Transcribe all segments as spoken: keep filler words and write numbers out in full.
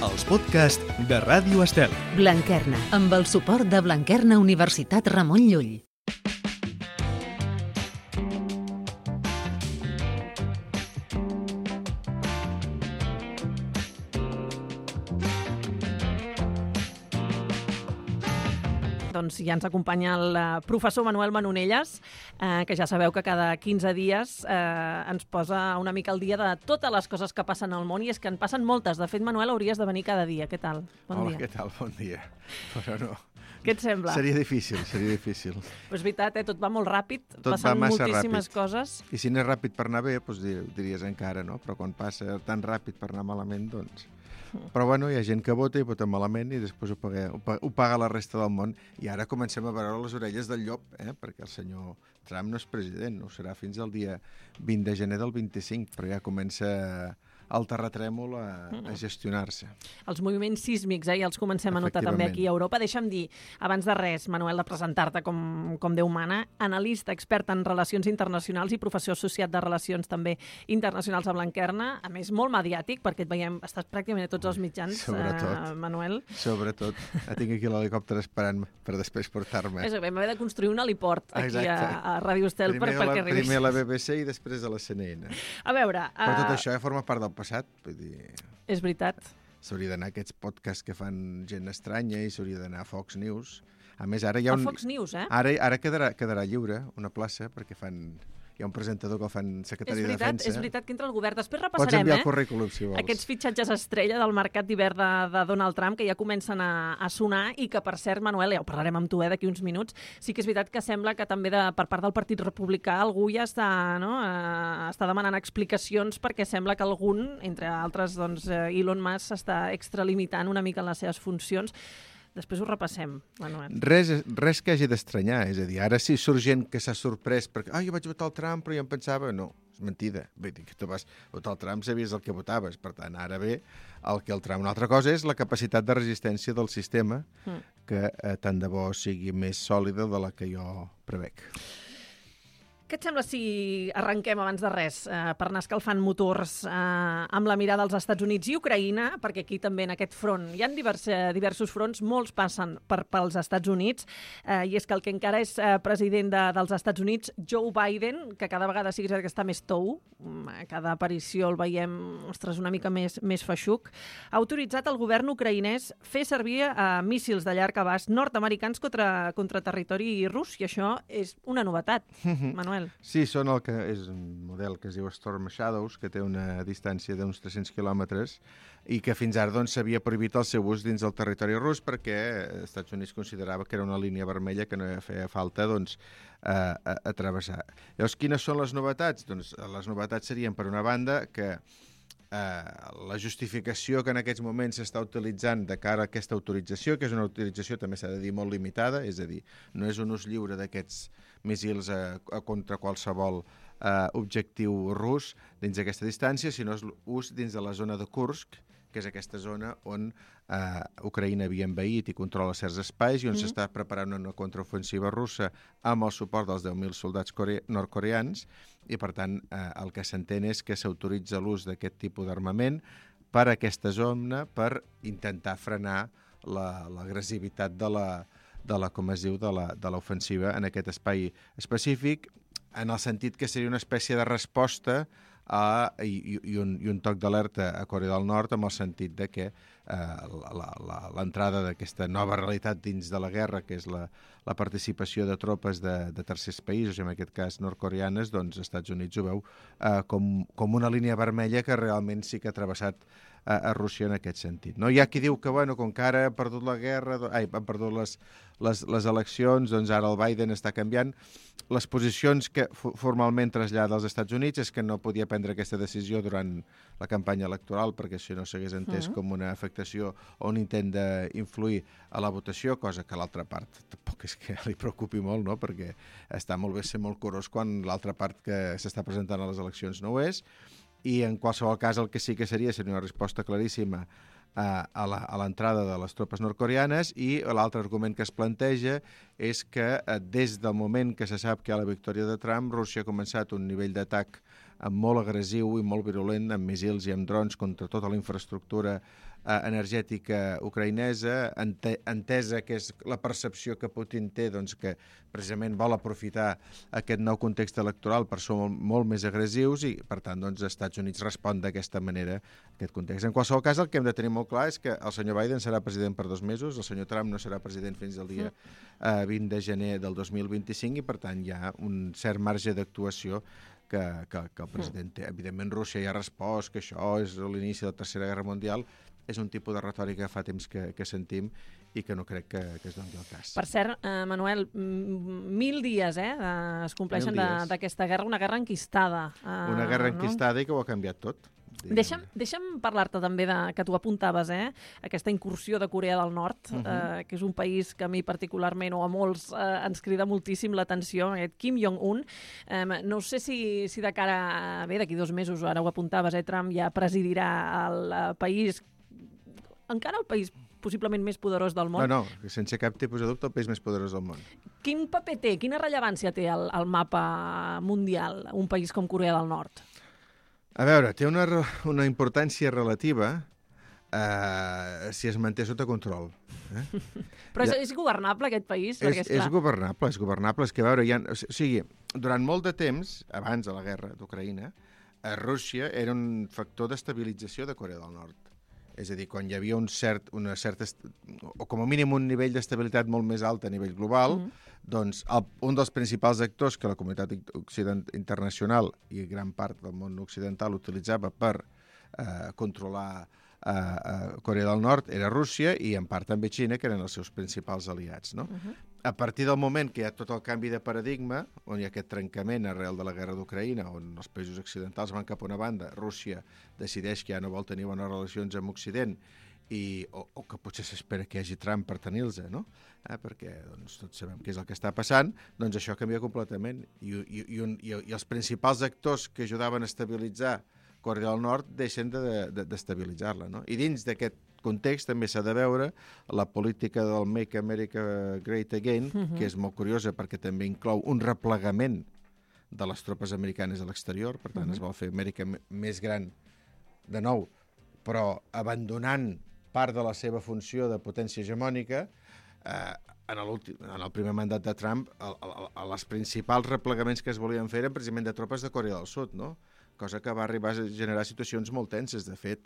els podcasts de Ràdio Estel. Blanquerna, amb el suport de Blanquerna Universitat Ramon Llull. Doncs ja ens acompanya el professor Manuel Manonelles, eh, que ja sabeu que cada quinze dies eh, ens posa una mica al dia de totes les coses que passen al món, i és que en passen moltes. De fet, Manuel, hauries de venir cada dia. Què tal? Bon Hola, dia. què tal? Bon dia. Però no. Què et sembla? Seria difícil, seria difícil. Però és veritat, eh? Tot va molt ràpid, Tot passen va massa moltíssimes ràpid. coses. I si n'és ràpid per anar bé, doncs diries encara, no? Però quan passa tan ràpid per anar malament, doncs... Però bueno, hi ha gent que vota i vota malament i després ho paga, ho paga, ho paga la resta del món. I ara comencem a veure les orelles del llop, eh? Perquè el senyor Trump no és president, no ho serà fins al dia vint de gener del vint-i-cinc, però ja comença el terratrèmol a, a gestionar-se. Els moviments sísmics, eh, ja els comencem a notar també aquí a Europa. Deixa'm dir, abans de res, Manuel, de presentar-te com, com Déu mana, analista, expert en relacions internacionals i professor associat de relacions també internacionals a Blanquerna, a més molt mediàtic, perquè et veiem, estàs pràcticament a tots els mitjans, eh, Manuel. Sobretot. Tinc aquí l'helicòpter esperant per després portar-me. És a dir, vam haver de construir un heliport aquí a, a Ràdio Estel primer per, perquè la, arribis. Primer a la B B C i després a la C N N. A veure... Però tot uh... això ja forma part del passat, vull dir... És veritat. S'hauria d'anar a aquests podcasts que fan gent estranya i s'hauria d'anar a Fox News. A més, ara hi ha un... A Fox News, eh? Ara, ara quedarà, quedarà lliure una plaça perquè fan... Hi ha un presentador que el fan secretari veritat, de Defensa. És veritat que entra el govern. Després Pots repassarem, enviar eh? el currículum, si vols. Aquests fitxatges estrella del mercat d'hivern de, de Donald Trump, que ja comencen a, a sonar i que, per cert, Manuel, ja ho parlarem amb tu eh, d'aquí uns minuts, sí que és veritat que sembla que també de, per part del Partit Republicà algú ja està, no, eh, està demanant explicacions perquè sembla que algun, entre altres, doncs, eh, Elon Musk s'està extralimitant una mica en les seves funcions. Després ho repassem, Manuel. Res, res que hagi d'estranyar, és a dir, ara sí surt gent que s'ha sorprès perquè ah, jo vaig votar el Trump però jo em pensava... No, és mentida. Vull dir que tu vas votar el Trump, sabies el que votaves. Per tant, ara ve el que el Trump... Una altra cosa és la capacitat de resistència del sistema, mm. que eh, tant de bo sigui més sòlida de la que jo prevec. Què et sembla si arrenquem abans de res eh, per anar escalfant motors eh, amb la mirada als Estats Units i Ucraïna, perquè aquí també en aquest front hi ha divers, diversos fronts, molts passen per, pels Estats Units, eh, i és que el que encara és eh, president de, dels Estats Units, Joe Biden, que cada vegada sí que està més tou, a cada aparició el veiem, ostres, una mica més, més feixuc, ha autoritzat el govern ucraïnès fer servir eh, míssils de llarg abast nord-americans contra, contra territori rus, i això és una novetat, Manuel. Sí, són el que és un model que es diu Storm Shadows, que té una distància d'uns tres-cents quilòmetres i que fins ara doncs, s'havia prohibit el seu ús dins del territori rus perquè els Estats Units considerava que era una línia vermella que no feia falta doncs, a, a, a travessar. Llavors, quines són les novetats? Doncs les novetats serien, per una banda, que Uh, la justificació que en aquests moments s'està utilitzant de cara a aquesta autorització, que és una autorització també s'ha de dir molt limitada, és a dir, no és un ús lliure d'aquests míssils a, a contra qualsevol uh, objectiu rus dins d'aquesta distància, sinó és ús dins de la zona de Kursk, que és aquesta zona on uh, Ucraïna havia envaït i controla certs espais i on mm. s'està preparant una contraofensiva russa amb el suport dels deu mil soldats core- nord-coreans, i per tant eh, el que s'entén és que s'autoritza l'ús d'aquest tipus d'armament per a aquesta zona per intentar frenar l'agressivitat la, de, la, de la, com es diu, de la, de l'ofensiva en aquest espai específic, en el sentit que seria una espècie de resposta a, i, i, un, i un toc d'alerta a Corea del Nord, amb el sentit de que eh, l'entrada d'aquesta nova realitat dins de la guerra, que és la, la participació de tropes de, de tercers països, en aquest cas nord-coreanes, doncs els Estats Units ho veu eh, com, com una línia vermella que realment sí que ha travessat a, a Rússia en aquest sentit. No? Hi ha qui diu que, bueno, com que ara ha perdut la guerra, ai, han perdut les, les, les eleccions, doncs ara el Biden està canviant. Les posicions que formalment trasllada als Estats Units és que no podia prendre aquesta decisió durant la campanya electoral perquè si no s'hagués entès uh-huh. com una afectació o un intent d'influir a la votació, cosa que l'altra part tampoc és que li preocupi molt, no? Perquè està molt bé ser molt curós quan l'altra part que s'està presentant a les eleccions no ho és, i en qualsevol cas el que sí que seria seria una resposta claríssima a l'entrada de les tropes nord-coreanes, i l'altre argument que es planteja és que des del moment que se sap que hi ha la victòria de Trump, Rússia ha començat un nivell d'atac molt agressiu i molt virulent, amb missils i amb drons contra tota la infraestructura eh, energètica ucraïnesa, ente, entesa que és la percepció que Putin té, doncs, que precisament vol aprofitar aquest nou context electoral per ser molt, molt més agressius i, per tant, doncs, els Estats Units respon d'aquesta manera a aquest context. En qualsevol cas, el que hem de tenir molt clar és que el senyor Biden serà president per dos mesos, el senyor Trump no serà president fins al dia eh, vint de gener del dos mil vint-i-cinc i, per tant, hi ha un cert marge d'actuació que, que, que el president té. Evidentment, Rússia ja ha respost que això és l'inici de la Tercera Guerra Mundial. És un tipus de retòrica que fa temps que, que sentim i que no crec que, que es doni el cas. Per cert, eh, Manuel, mil dies eh, es compleixen d'aquesta guerra, una guerra enquistada. Eh, una guerra no? enquistada i que ho ha canviat tot. Deixa'm, deixa'm parlar-te també de, que tu apuntaves, eh, aquesta incursió de Corea del Nord, uh -huh. eh, que és un país que a mi particularment o a molts eh, ens crida moltíssim l'atenció, aquest Kim Jong-un. Eh, no sé si, si de cara a... Bé, d'aquí dos mesos, ara ho apuntaves, eh, Trump ja presidirà el eh, país, encara el país possiblement més poderós del món. No, no, sense cap tipus de dubte, el país més poderós del món. Quin paper té, quina rellevància té al, al mapa mundial un país com Corea del Nord? A veure, té una, una importància relativa eh, si es manté sota control. Eh? Però és, és governable aquest país? És, és governable, és governable. És que, a veure, hi ha, o sigui, durant molt de temps, abans de la guerra d'Ucraïna, a Rússia era un factor d'estabilització de Corea del Nord. És a dir, quan hi havia un cert, una certa, o com a mínim un nivell d'estabilitat molt més alt a nivell global, mm -hmm. doncs el, un dels principals actors que la comunitat occident, internacional i gran part del món occidental utilitzava per eh, controlar eh, eh, Corea del Nord era Rússia i en part també Xina, que eren els seus principals aliats, no? Mm -hmm. A partir del moment que hi ha tot el canvi de paradigma, on hi ha aquest trencament arrel de la guerra d'Ucraïna, on els països occidentals van cap a una banda, Rússia decideix que ja no vol tenir bones relacions amb Occident, i, o, o que potser s'espera que hi hagi Trump per tenir-los, no? Eh, perquè doncs, tots sabem què és el que està passant, doncs això canvia completament. I, i, i, un, i, i els principals actors que ajudaven a estabilitzar Corea del Nord deixen de, de, d'estabilitzar-la, no? I dins d'aquest context també s'ha de veure la política del Make America Great Again, uh-huh. que és molt curiosa perquè també inclou un replegament de les tropes americanes a l'exterior, per tant uh-huh. es vol fer Amèrica més gran de nou, però abandonant part de la seva funció de potència hegemònica. eh, en, en el primer mandat de Trump, el, el, el, els principals replegaments que es volien fer eren precisament de tropes de Corea del Sud, no? Cosa que va arribar a generar situacions molt tenses. De fet,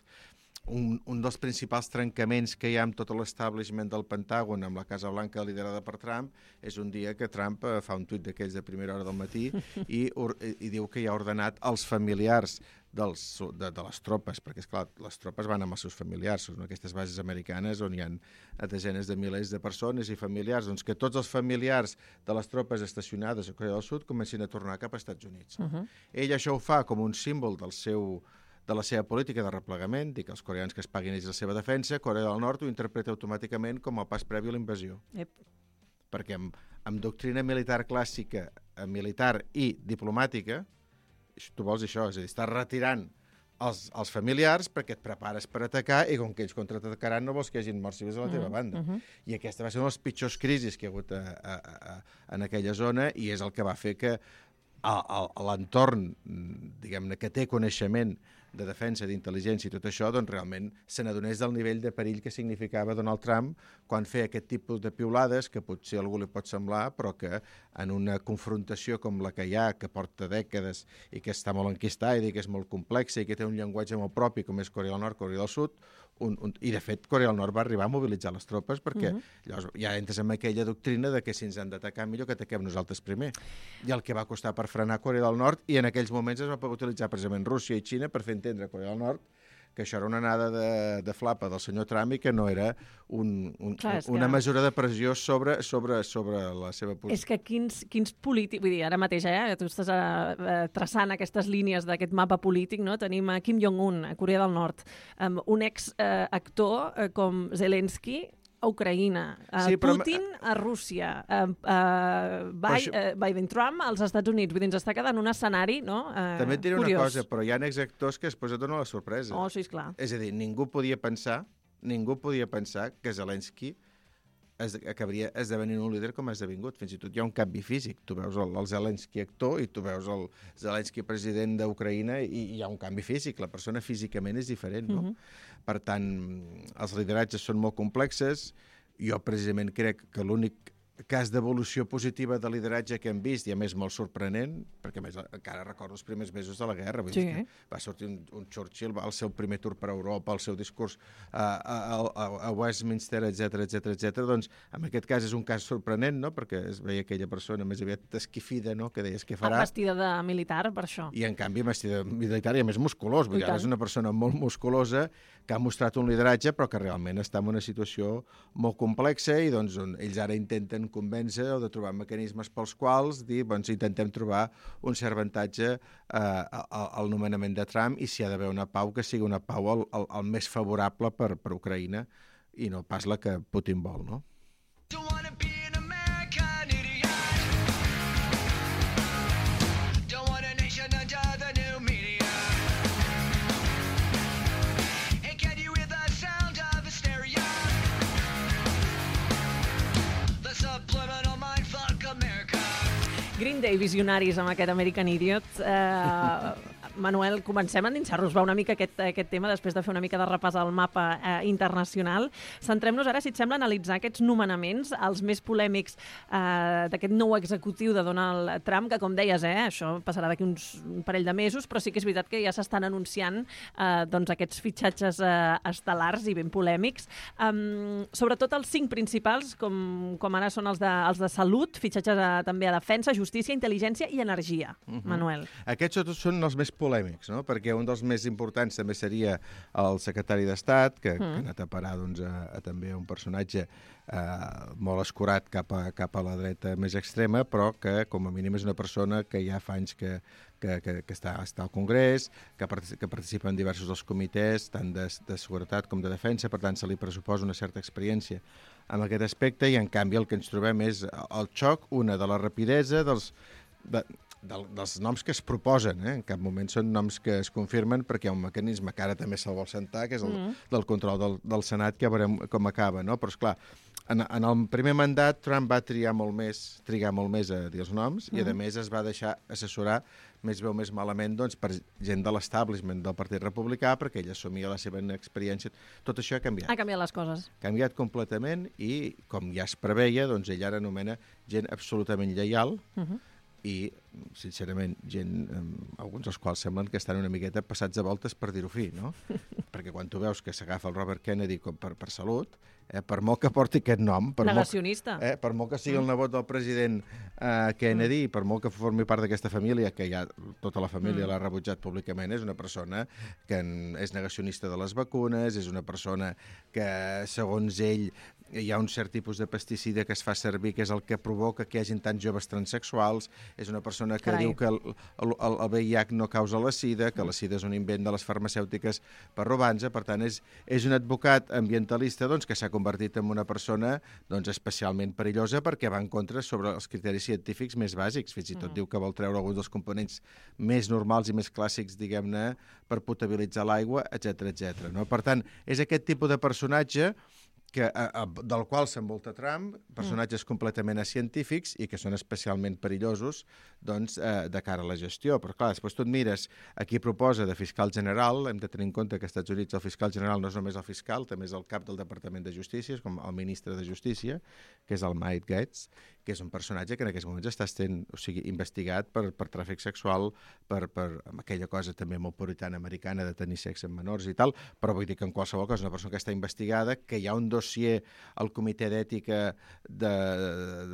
un, un dels principals trencaments que hi ha amb tot l'establishment del Pentàgon, amb la Casa Blanca liderada per Trump, és un dia que Trump eh, fa un tuit d'aquells de primera hora del matí i, or, i diu que hi ha ordenat als familiars dels, de, de les tropes, perquè, esclar, les tropes van amb els seus familiars, són aquestes bases americanes on hi ha desenes de milers de persones i familiars, doncs que tots els familiars de les tropes estacionades a Corea del Sud comencin a tornar cap als Estats Units. Uh-huh. Ell això ho fa com un símbol del seu, de la seva política de replegament, dir que els coreans que es paguin ells la seva defensa, Corea del Nord ho interpreta automàticament com el pas previ a la invasió. Yep. Perquè amb, amb doctrina militar clàssica, militar i diplomàtica, tu vols això, és a dir, estàs retirant els, els familiars perquè et prepares per atacar i com que ells contraatacaran no vols que hi hagin morts civils a la teva banda. Uh-huh. I aquesta va ser una de les pitjors crisis que hi ha hagut a, a, a, en aquella zona i és el que va fer que l'entorn, diguem-ne, que té coneixement de defensa, d'intel·ligència i tot això, doncs realment se n'adonés del nivell de perill que significava Donald Trump quan feia aquest tipus de piulades que potser a algú li pot semblar, però que en una confrontació com la que hi ha, que porta dècades i que està molt enquistada i que és molt complexa i que té un llenguatge molt propi com és Corea del Nord, Corea del Sud, un, un, i de fet Corea del Nord va arribar a mobilitzar les tropes perquè uh-huh. llavors ja entres en aquella doctrina de que si ens han d'atacar millor que ataquem nosaltres primer. I el que va costar per frenar Corea del Nord, i en aquells moments es va poder utilitzar precisament Rússia i Xina per fer entendre a Corea del Nord que això era una anada de, de flapa del senyor Trump i que no era un, un, Clar, una que... mesura de pressió sobre, sobre, sobre la seva posició. És que quins, quins polítics... Vull dir, ara mateix, eh, tu estàs eh, traçant aquestes línies d'aquest mapa polític, no? Tenim a Kim Jong-un, a Corea del Nord, um, un ex-actor eh, com Zelensky, a Ucraïna, a sí, Putin però... a Rússia, a, a Biden, Biden Trump als Estats Units. Vull dir, ens està quedant un escenari, no? Uh, També et diré curiós. una cosa, però hi ha exactors que després et donen la sorpresa. Oh, sí, esclar. És a dir, ningú podia pensar, ningú podia pensar que Zelensky es, acabaria esdevenint un líder com ha esdevingut. Fins i tot hi ha un canvi físic. Tu veus el, el Zelensky actor i tu veus el Zelensky president d'Ucraïna i hi ha un canvi físic. La persona físicament és diferent, no? Uh-huh. Per tant, els lideratges són molt complexes. Jo precisament crec que l'únic cas d'evolució positiva de lideratge que hem vist, i a més molt sorprenent, perquè a més encara recordo els primers mesos de la guerra, vull sí. dir que va sortir un, un Churchill al seu primer tour per Europa, al seu discurs a, a, a, a Westminster, etcètera, etcètera, etcètera. Doncs en aquest cas és un cas sorprenent, no? Perquè es veia aquella persona més aviat esquifida, no? Que deies què farà. Vestida de militar, per això. I en canvi vestida de militar i a més musculós, vull dir, és una persona molt musculosa que ha mostrat un lideratge però que realment està en una situació molt complexa i doncs ells ara intenten convèncer o de trobar mecanismes pels quals dir, doncs intentem trobar un cert avantatge eh, al nomenament de Trump i si ha d'haver una pau que sigui una pau el, el, el més favorable per, per Ucraïna i no pas la que Putin vol, no? Green Day, visionaris amb aquest American Idiot. Eh, Manuel, comencem a endinsar-nos va una mica aquest, aquest tema després de fer una mica de repàs al mapa eh, internacional. Centrem-nos ara, si et sembla, a analitzar aquests nomenaments, els més polèmics eh, d'aquest nou executiu de Donald Trump, que com deies, eh, això passarà d'aquí uns un parell de mesos, però sí que és veritat que ja s'estan anunciant eh, doncs aquests fitxatges eh, estel·lars i ben polèmics. Um, sobretot els cinc principals, com, com ara són els de, els de salut, fitxatges a, també a defensa, justícia, intel·ligència i energia. Uh-huh. Manuel. Aquests són els més polèmics, no? Perquè un dels més importants també seria el secretari d'Estat, que, mm. que ha anat a parar doncs, a, a també un personatge eh, molt escurat cap a, cap a la dreta més extrema, però que com a mínim és una persona que ja fa anys que, que, que, que està, està al Congrés, que, partic que participa en diversos dels comitès, tant de, de seguretat com de defensa, per tant se li pressuposa una certa experiència en aquest aspecte i en canvi el que ens trobem és el xoc, una de la rapidesa dels... De, Del, dels noms que es proposen, eh? En cap moment són noms que es confirmen perquè hi ha un mecanisme que ara també se'l vol sentar, que és el mm. del control del, del Senat, que ja veurem com acaba, no? Però, esclar, en, en el primer mandat Trump va triar molt més, trigar molt més a dir els noms mm. i, a més, es va deixar assessorar més bé o més malament doncs, per gent de l'establishment del Partit Republicà perquè ell assumia la seva experiència. Tot això ha canviat. Ha canviat les coses. Ha canviat completament i, com ja es preveia, doncs ell ara anomena gent absolutament lleial mm-hmm. i, sincerament, gent, eh, alguns dels quals semblen que estan una miqueta passats a voltes per dir-ho fi, no? Perquè quan tu veus que s'agafa el Robert Kennedy com per, per salut, eh, per molt que porti aquest nom... Per Negacionista. Molt, eh, per molt que sigui el nebot del president eh, Kennedy, mm. per molt que formi part d'aquesta família, que ja tota la família mm. l'ha rebutjat públicament, és una persona que és negacionista de les vacunes, és una persona que, segons ell, hi ha un cert tipus de pesticida que es fa servir, que és el que provoca que hi hagin tants joves transsexuals, és una persona que Carai. diu que el, el, el V I H no causa la sida, que la sida és un invent de les farmacèutiques per robar-nos, per tant és, és un advocat ambientalista doncs, que s'ha convertit en una persona doncs, especialment perillosa perquè va en contra sobre els criteris científics més bàsics, fins i tot mm. diu que vol treure alguns dels components més normals i més clàssics, diguem-ne, per potabilitzar l'aigua, etcètera, etcètera. No? Per tant, és aquest tipus de personatge que, a, a, del qual s'envolta Trump, personatges mm. completament científics i que són especialment perillosos doncs, eh, de cara a la gestió. Però clar, després tu et mires a qui proposa de fiscal general, hem de tenir en compte que als Estats Units el fiscal general no és només el fiscal, també és el cap del Departament de Justícia, com el ministre de Justícia, que és el Mike Gaetz, que és un personatge que en aquests moments està sent, o sigui, investigat per, per tràfic sexual, per, per aquella cosa també molt puritana americana de tenir sexe amb menors i tal, però vull dir que en qualsevol cas és una persona que està investigada, que hi ha un dossier al Comitè d'Ètica de,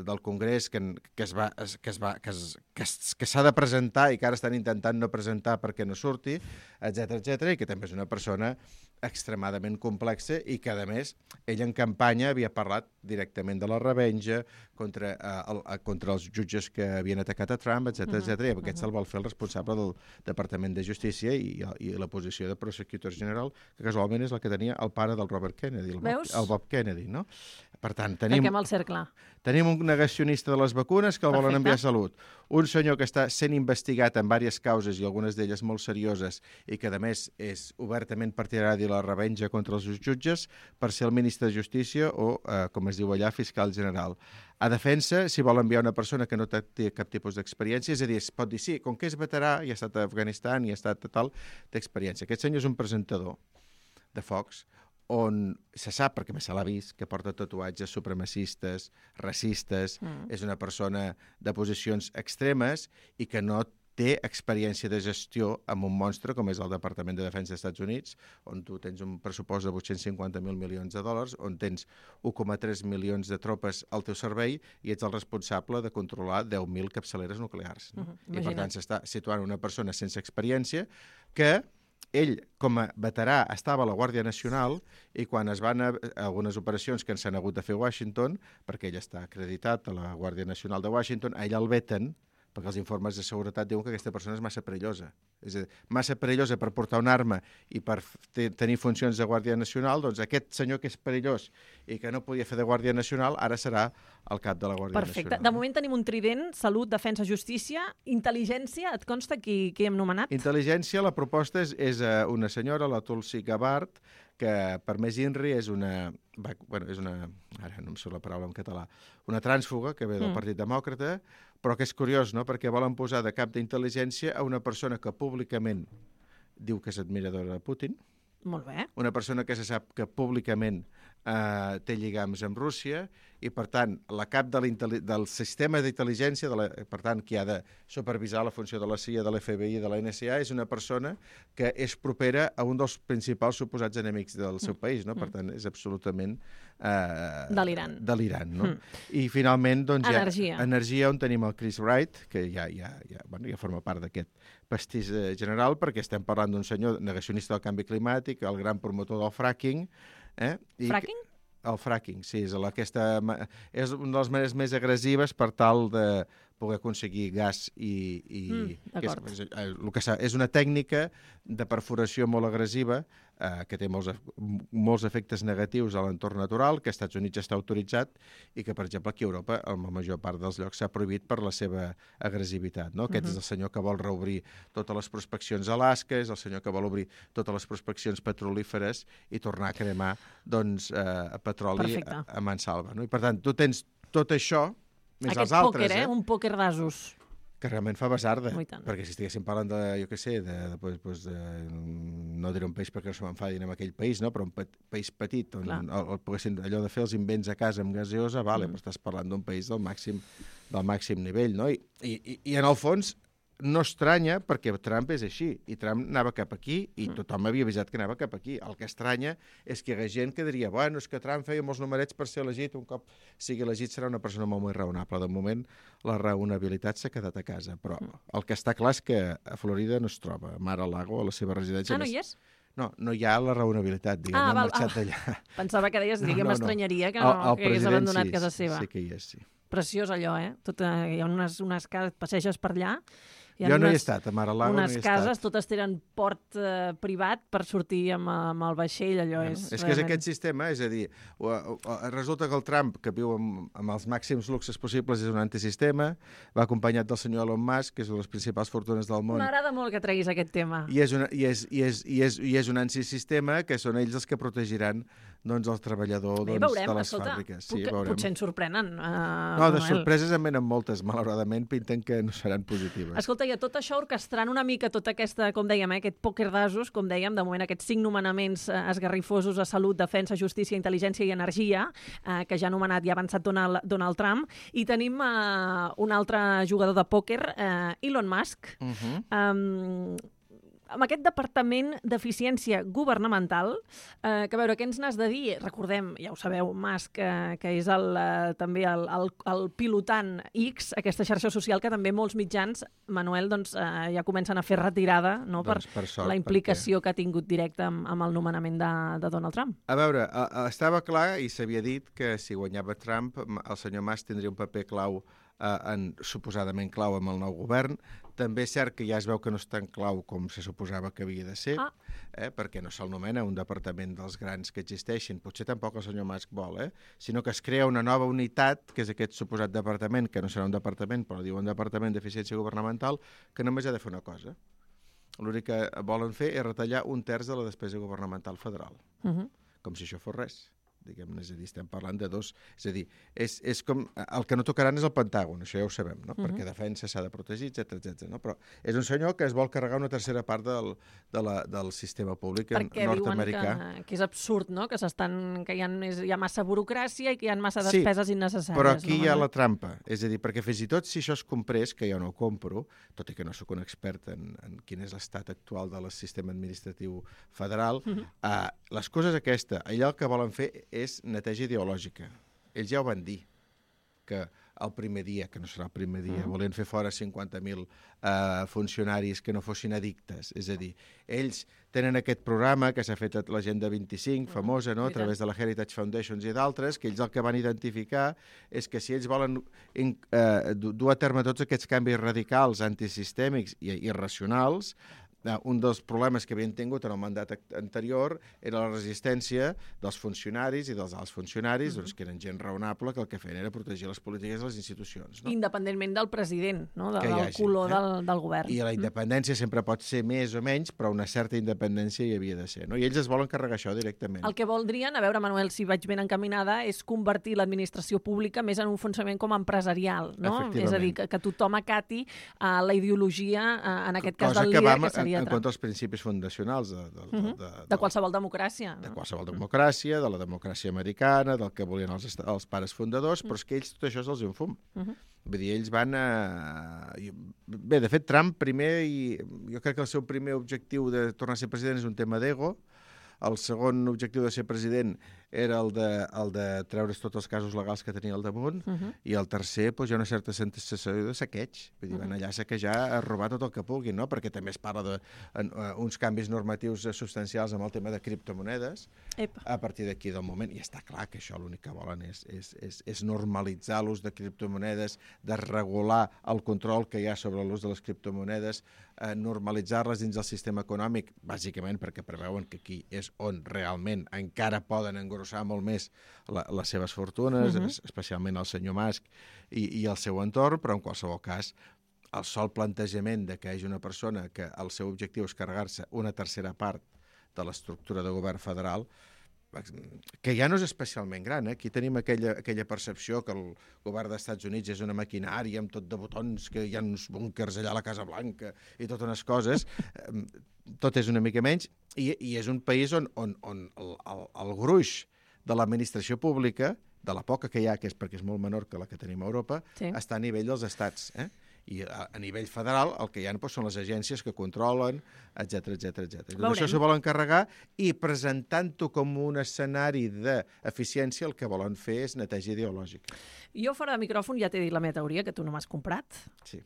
del Congrés que, que es va, que es va, que es, que es, que s'ha de presentar i que ara estan intentant no presentar perquè no surti, etcètera, etcètera, i que també és una persona extremadament complexa i que, a més, ell en campanya havia parlat directament de la revenja contra, eh, el, contra els jutges que havien atacat a Trump, etcètera, uh-huh. etcètera, i amb aquest se'l vol fer el responsable del Departament de Justícia i, i la posició de Prosecutor General, que casualment és la que tenia el pare del Robert Kennedy, el Bob, el Bob Kennedy, no? Per tant, tenim, Tanquem el cercle. Tenim un negacionista de les vacunes que el Perfecte. volen enviar a Salut. Un senyor que està sent investigat en diverses causes i algunes d'elles molt serioses i que, a més, és obertament partidari la revenja contra els jutges per ser el ministre de Justícia o, eh, com es diu allà, fiscal general. A defensa, si vol enviar una persona que no té cap tipus d'experiència, és a dir, es pot dir, sí, com que és veterà, i ha estat a Afganistan, i ha estat tal, té experiència. Aquest senyor és un presentador de Fox, on se sap, perquè més se l'ha vist, que porta tatuatges supremacistes, racistes, mm. és una persona de posicions extremes i que no té experiència de gestió amb un monstre com és el Departament de Defensa dels Estats Units, on tu tens un pressupost de vuit-cents cinquanta mil milions de dòlars, on tens un coma tres milions de tropes al teu servei i ets el responsable de controlar deu mil capçaleres nuclears. No? Uh-huh. I per tant s'està situant una persona sense experiència que ell, com a veterà, estava a la Guàrdia Nacional i quan es van a algunes operacions que s'han hagut de fer a Washington, perquè ell està acreditat a la Guàrdia Nacional de Washington, a ell el veten perquè els informes de seguretat diuen que aquesta persona és massa perillosa. És a dir, massa perillosa per portar una arma i per tenir funcions de Guàrdia Nacional, doncs aquest senyor que és perillós i que no podia fer de Guàrdia Nacional, ara serà el cap de la Guàrdia Perfecte. Nacional. Perfecte. De moment tenim un trident, salut, defensa, justícia, intel·ligència, et consta qui, qui hem nomenat? Intel·ligència, la proposta és, és una senyora, la Tulsi Gabbard, que per més INRI és una, bueno, és una, ara no em surt la paraula en català, una trànsfuga que ve del mm. Partit Demòcrata, però que és curiós, no?, perquè volen posar de cap d'intel·ligència a una persona que públicament diu que és admiradora de Putin. Molt bé. Una persona que se sap que públicament eh, té lligams amb Rússia i, per tant, la cap de del sistema d'intel·ligència, de la, per tant, qui ha de supervisar la funció de la C I A, de l'F B I i de la N S A, és una persona que és propera a un dels principals suposats enemics del seu mm. país, no? Per tant, és absolutament eh, delirant. delirant, no? Mm. I, finalment, doncs, energia. hi ha energia, on tenim el Chris Wright, que ja, ja, ja, bueno, ja forma part d'aquest pastís general, perquè estem parlant d'un senyor negacionista del canvi climàtic, el gran promotor del fracking. Eh? I fracking? El fracking, sí, és, aquesta, és una de les maneres més agressives per tal de poder aconseguir gas i... i mm, que és, el que és una tècnica de perforació molt agressiva eh, que té molts, molts efectes negatius a l'entorn natural, que als Estats Units està autoritzat i que, per exemple, aquí a Europa, en la major part dels llocs, s'ha prohibit per la seva agressivitat. No? Aquest uh-huh. és el senyor que vol reobrir totes les prospeccions a Alaska, és el senyor que vol obrir totes les prospeccions petrolíferes i tornar a cremar doncs, eh, petroli Perfecte. a, a mansalva. No? I, per tant, tu tens tot això més Aquest els altres, pòquer, eh? eh? Un pòquer d'asos. Que realment fa basarda, perquè si estiguéssim parlant de, jo què sé, de, de, pues, pues, de, no diré un país perquè no se m'enfadin en aquell país, no? Però un pe país petit, on el, el, poguessin, allò de fer els invents a casa amb gaseosa, vale, mm. però estàs parlant d'un país del màxim, del màxim nivell, no? I, i, i en el fons no estranya perquè Trump és així, i Trump anava cap aquí i mm. tothom havia avisat que anava cap aquí. El que estranya és que hi hagués gent que diria, bueno, és que Trump feia molts numerets per ser elegit, un cop sigui elegit serà una persona molt, molt raonable. De moment la raonabilitat s'ha quedat a casa, però mm. el que està clar és que a Florida no es troba, a Mar-a-Lago, a la seva residència. Ah, no hi és? No, no hi ha la raonabilitat, diguem, ah, no ha val, marxat ah, d'allà. Pensava que deies, diguem, no, no, no. Estranyaria que, el, no, el que hagués abandonat sí, casa seva. Sí que hi és, sí. Preciós allò, eh? Tot, eh hi ha unes, unes cases, passeges per allà. Jo no unes, hi he estat, a Mar-a-Lago no hi he estat. Unes cases, totes tenen port eh, privat per sortir amb, amb el vaixell, allò bueno, és... És que és aquest sistema, és a dir, o, o, o, resulta que el Trump, que viu amb, amb els màxims luxes possibles, és un antisistema, va acompanyat del senyor Elon Musk, que és una de les principals fortunes del món. M'agrada molt que treguis aquest tema. I és, una, i, és, i, és, i, és, I és un antisistema que són ells els que protegiran doncs, el treballador doncs, Bé, veurem, de les escolta, fàbriques. Sí, puc, potser ens sorprenen. Uh, no, de Manuel. Sorpreses en venen moltes, malauradament, pinten que no seran positives. Escolta, i a tot això orquestrant una mica tota aquesta, com dèiem, eh, aquest pòquer d'asos, com dèiem, de moment aquests cinc nomenaments eh, esgarrifosos a salut, defensa, justícia, intel·ligència i energia, eh, que ja ha nomenat i ha avançat Donald, Donald Trump, i tenim eh, un altre jugador de pòquer, eh, Elon Musk, uh-huh. um, amb aquest departament d'eficiència governamental, eh, que a veure, què ens n'has de dir? Recordem, ja ho sabeu, Musk, eh, que és el, eh, també el, el, el pilotant X, aquesta xarxa social que també molts mitjans, Manuel, doncs, eh, ja comencen a fer retirada, no? Doncs per, per sort, la implicació perquè... que ha tingut directa amb, amb el nomenament de, de Donald Trump. A veure, estava clar i s'havia dit que si guanyava Trump, el senyor Musk tindria un paper clau en, suposadament clau amb el nou govern. També és cert que ja es veu que no és tan clau com se suposava que havia de ser, ah. eh, perquè no se'l nomena un departament dels grans que existeixen, potser tampoc el senyor Musk vol, eh, sinó que es crea una nova unitat, que és aquest suposat departament, que no serà un departament, però diu un departament d'eficiència governamental, que només ha de fer una cosa. l'únic que volen fer és retallar un terç de la despesa governamental federal. Uh -huh. Com si això fos res. Diguem-ne, és a dir, estem parlant de dos... És a dir, és, és com... El que no tocaran és el Pentàgon, això ja ho sabem, no? Uh-huh. Perquè defensa s'ha de protegir, etcètera, etcètera. No? Però és un senyor que es vol carregar una tercera part del, de la, del sistema públic perquè nord-americà. Perquè diuen que, que és absurd, no? Que, s'estan, que hi, ha més, hi ha massa burocràcia i que hi ha massa despeses sí, innecessàries. Però aquí no? hi ha la trampa. És a dir, perquè fins i tot si això es comprés, que jo no ho compro, tot i que no sóc un expert en, en quin és l'estat actual del sistema administratiu federal, uh-huh. uh, les coses aquesta, allà el que volen fer és neteja ideològica. Ells ja ho van dir, que el primer dia, que no serà el primer dia, mm. volien fer fora cinquanta mil uh, funcionaris que no fossin addictes. És a dir, ells tenen aquest programa que s'ha fet a l'Agenda vint-i-cinc, mm. famosa, no?, a través de la Heritage Foundations i d'altres, que ells el que van identificar és que si ells volen uh, dur a terme tots aquests canvis radicals, antisistèmics i irracionals, un dels problemes que havien tingut en el mandat anterior era la resistència dels funcionaris i dels alts funcionaris, mm-hmm. doncs, que eren gent raonable, que el que feien era protegir les polítiques de les institucions. No? Independentment del president, no? De, del hagi, color eh? del, del govern. I la independència mm. sempre pot ser més o menys, però una certa independència hi havia de ser. No? I ells es volen carregar això directament. El que voldrien, a veure, Manuel, si vaig ben encaminada, és convertir l'administració pública més en un funcionament com empresarial. No? És a dir, que, que tothom acati uh, la ideologia, uh, en aquest cas Cosa del que líder, va, que seria en contra dels principis fundacionals de, de, uh -huh. de, de, de qualsevol democràcia. De qualsevol democràcia, de la democràcia americana, del que volien els, els pares fundadors, però és que ells tot això se'ls en fum. Uh -huh. Vull dir, ells van a... Bé, de fet, Trump primer, i jo crec que el seu primer objectiu de tornar a ser president és un tema d'ego. El segon objectiu de ser president era el de, el de treure's tots els casos legals que tenia al damunt, uh -huh. i el tercer, doncs, hi ha una certa sensació de saqueig. Vull dir, van allà a saquejar, a robar tot el que puguin, no? Perquè també es parla d'uns canvis normatius substancials amb el tema de criptomonedes. Epa. A partir d'aquí del moment, i està clar que això l'únic que volen és, és, és, és normalitzar l'ús de criptomonedes, de regular el control que hi ha sobre l'ús de les criptomonedes, eh, normalitzar-les dins del sistema econòmic, bàsicament perquè preveuen que aquí és on realment encara poden engrossar molt més la, les seves fortunes, uh -huh. especialment el senyor Musk i, i el seu entorn, però en qualsevol cas el sol plantejament de que hi hagi una persona que el seu objectiu és carregar-se una tercera part de l'estructura de govern federal, que ja no és especialment gran. Eh? Aquí tenim aquella, aquella percepció que el govern dels Estats Units és una maquinària amb tot de botons, que hi ha uns búnkers allà a la Casa Blanca i totes unes coses. Tot és una mica menys, i, i és un país on, on, on el, el, el gruix de l'administració pública, de la poca que hi ha, que és perquè és molt menor que la que tenim a Europa, sí. està a nivell dels estats, eh? I a, a nivell federal el que hi ha doncs, són les agències que controlen, etcètera, etcètera, etcètera. Tot això s'ho volen carregar i presentant-ho com un escenari d'eficiència el que volen fer és neteja ideològica. Jo fora de micròfon ja t'he dit la meva teoria, que tu no m'has comprat. Sí.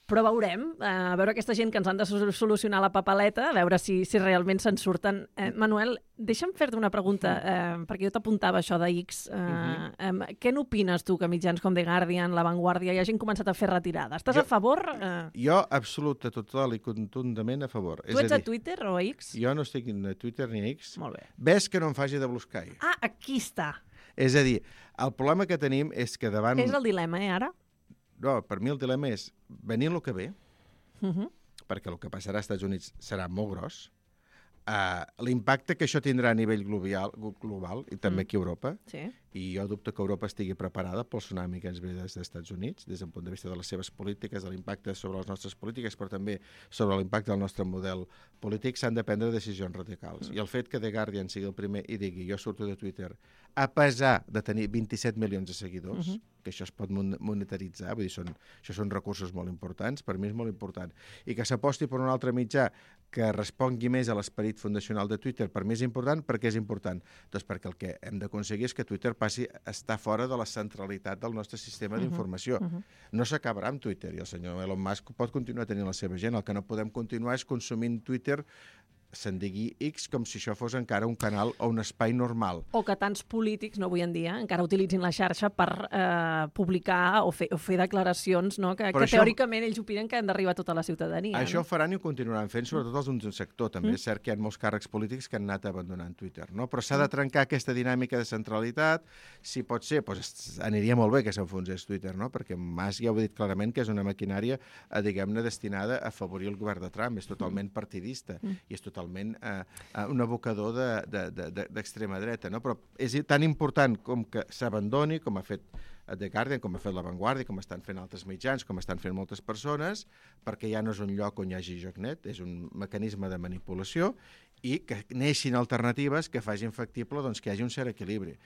Però veurem, eh, a veure aquesta gent que ens han de solucionar la papeleta, a veure si, si realment se'n surten. Eh, Manuel, deixa'm fer-te una pregunta, eh, perquè jo t'apuntava això de X. Eh, uh-huh. eh, què n'opines tu que mitjans com The Guardian, La Vanguardia, hi hagin començat a fer retirada? Estàs jo, a favor? Eh... Jo, absolut, total i contundament a favor. Tu ets a, a Twitter o a X? Jo no estic ni a Twitter ni a X. Molt bé. Ves que no em faci de Blue Sky. Ah, aquí està. És a dir, el problema que tenim és que davant... És el dilema, eh, ara? No, per mi el dilema és venir el que ve, uh-huh. perquè el que passarà als Estats Units serà molt gros, uh, l'impacte que això tindrà a nivell global, global i també mm. aquí a Europa, sí. i jo dubto que Europa estigui preparada pel tsunami que ens ve des dels Estats Units, des del punt de vista de les seves polítiques, de l'impacte sobre les nostres polítiques, però també sobre l'impacte del nostre model polític, s'han de prendre decisions radicals. Mm. I el fet que The Guardian sigui el primer i digui jo surto de Twitter, a pesar de tenir vint-i-set milions de seguidors, uh-huh. que això es pot monetaritzar, vull dir, són, això són recursos molt importants, per mi és molt important, i que s'aposti per un altre mitjà que respongui més a l'esperit fundacional de Twitter, per mi és important, perquè és important? Doncs perquè el que hem d'aconseguir és que Twitter passi a estar fora de la centralitat del nostre sistema uh-huh. d'informació. Uh-huh. No s'acabarà amb Twitter, i el senyor Elon Musk pot continuar tenint la seva gent. El que no podem continuar és consumint Twitter se'n digui X com si això fos encara un canal o un espai normal. O que tants polítics, no avui en dia, encara utilitzin la xarxa per eh, publicar o fer, o fer declaracions, no? que, que això, teòricament ells opinen que han d'arribar a tota la ciutadania. Això no? ho faran i ho continuaran fent, sobretot els d'un sector. També Mm. és cert que hi ha molts càrrecs polítics que han anat abandonant Twitter, no? Però s'ha de trencar aquesta dinàmica de centralitat. Si pot ser, doncs aniria molt bé que s'enfonsés Twitter, no? Perquè Mas ja ho ha dit clarament que és una maquinària, eh, diguem-ne, destinada a afavorir el govern de Trump. És totalment partidista mm. i és totalment eh, un abocador d'extrema de, de, de, dreta, no? Però és tan important com que s'abandoni, com ha fet The Guardian, com ha fet La Vanguardia, com estan fent altres mitjans, com estan fent moltes persones, perquè ja no és un lloc on hi hagi joc net, és un mecanisme de manipulació, i que neixin alternatives que facin factible doncs, que hi hagi un cert equilibri.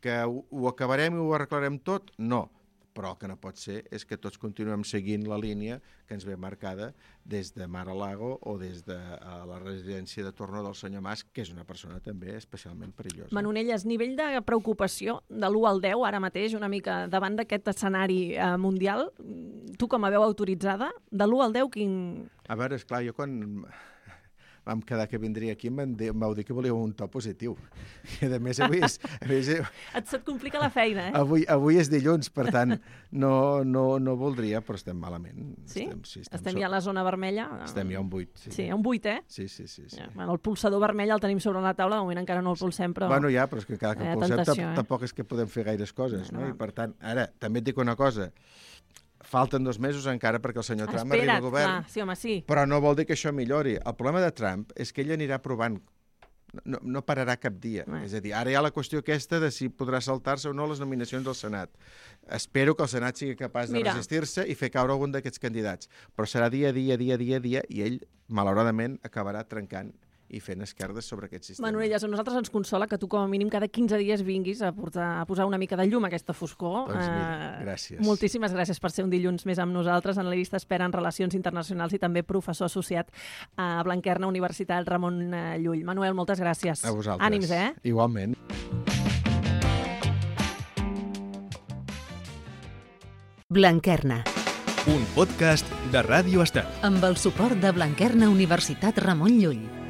Que ho, ho acabarem i ho arreglarem tot? No. Però el que no pot ser és que tots continuem seguint la línia que ens ve marcada des de Mar-a-Lago o des de uh, la residència de torno del senyor Mas, que és una persona també especialment perillosa. Manonelles, nivell de preocupació de l'u al deu, ara mateix, una mica davant d'aquest escenari eh, mundial, tu com a veu autoritzada, de l'u al deu, quin... A veure, esclar, jo quan vam quedar que vindria aquí, em vau dir que volíeu un to positiu. I a més, avui és... A més, Et se't complica la feina, eh? Avui, avui és dilluns, per tant, no, no, no voldria, però estem malament. Sí? Estem, sí, estem, estem ja a la zona vermella? Estem ja a un vuit. Sí, sí a un vuit, eh? Sí, sí, sí. sí. Ja, bueno, el pulsador vermell el tenim sobre la taula, de moment encara no el pulsem, però... Bueno, ja, però és que cada que el pulsem tentació, eh? tampoc és que podem fer gaires coses, no? no? I per tant, ara, també et dic una cosa, falten dos mesos encara perquè el senyor Trump Espera't, arribi al govern. clar, sí, home, sí. Però no vol dir que això millori. El problema de Trump és que ell anirà provant. No, no pararà cap dia. Eh. És a dir, ara hi ha la qüestió aquesta de si podrà saltar-se o no les nominacions del Senat. Espero que el Senat sigui capaç de Mira. resistir-se i fer caure algun d'aquests candidats. Però serà dia a dia, dia a dia, dia, i ell, malauradament, acabarà trencant i fent esquerdes sobre aquest sistema. Manonelles, a nosaltres ens consola que tu com a mínim cada quinze dies vinguis a, portar, a posar una mica de llum a aquesta foscor. Doncs mira, gràcies. Uh, moltíssimes gràcies per ser un dilluns més amb nosaltres, analista expert en relacions internacionals i també professor associat a Blanquerna Universitat Ramon Llull. Manuel, moltes gràcies. A vosaltres. Ànims, eh? Igualment. Blanquerna, Un podcast de Ràdio Estel. amb el suport de Blanquerna Universitat Ramon Llull.